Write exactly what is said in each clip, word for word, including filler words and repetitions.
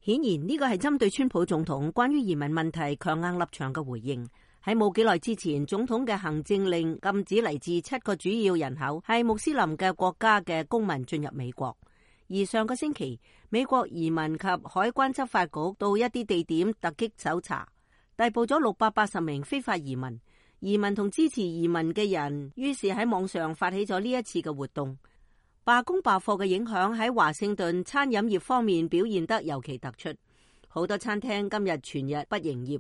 顯然呢個係針對川普總統關於移民問題強硬立場嘅回應。喺冇幾耐之前，總統嘅行政令禁止嚟自七個主要人口係穆斯林嘅國家嘅公民進入美國。而上個星期，美國移民及海關執法局到一啲地點突擊搜查，逮捕咗六百八十名非法移民。移民同支持移民嘅人於是喺網上發起咗呢一次嘅活動。罷工罷課嘅影響喺華盛頓餐飲業方面表現得尤其突出，好多餐廳今日全日不營業。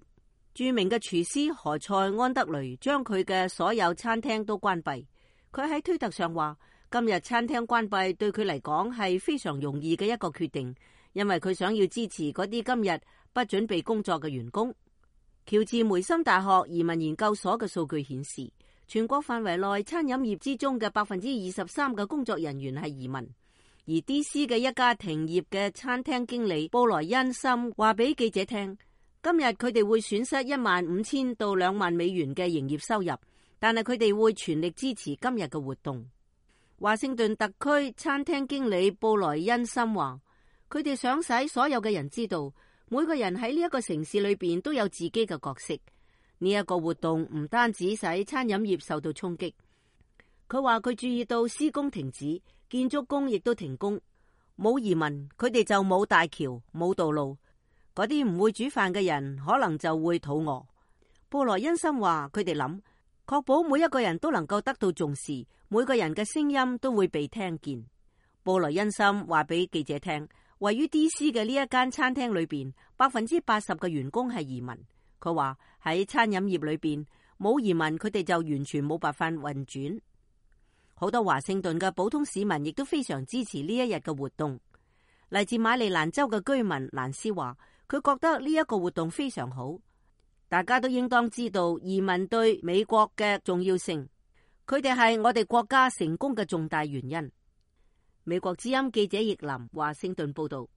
著名嘅廚師何塞安德雷將佢嘅所有餐廳都關閉。佢喺推特上話，今日餐廳關閉對佢嚟講係非常容易嘅一個決定，因為佢想要支持嗰啲今日不準備工作嘅員工。喬治梅森大學移民研究所嘅數據顯示，全國範圍內餐飲業之中嘅百分之二十三嘅工作人員係移民。而 D C 嘅一家停業嘅餐廳經理布萊恩森話俾記者聽，今日佢哋會損失一萬五千到兩萬美元嘅營業收入，但係佢哋會全力支持今日嘅活動。華盛頓特區餐廳經理布萊恩森話，佢哋想使所有嘅人知道，每個人喺呢一個城市裏邊都有自己嘅角色。呢一個活動唔單止使餐飲業受到衝擊，佢話佢注意到施工停止，建築工亦都停工。冇移民，佢哋就冇大橋、冇道路。嗰啲唔會煮飯嘅人可能就會肚餓。布萊恩森話佢哋諗，確保每一個人都能夠得到重視，每個人嘅聲音都會被聽見。布萊恩森話俾記者聽，位於 D C 嘅呢一間餐廳裏邊，百分之八十嘅員工係移民。佢話喺餐飲業裏邊冇移民，佢哋就完全冇辦法運轉。好多華盛頓嘅普通市民亦都非常支持呢一日嘅活動。嚟自馬里蘭州嘅居民蘭斯話，佢覺得呢一個活動非常好。大家都應當知道移民對美國嘅重要性，佢哋係我哋國家成功嘅重大原因。美國之音記者葉林華盛頓報道。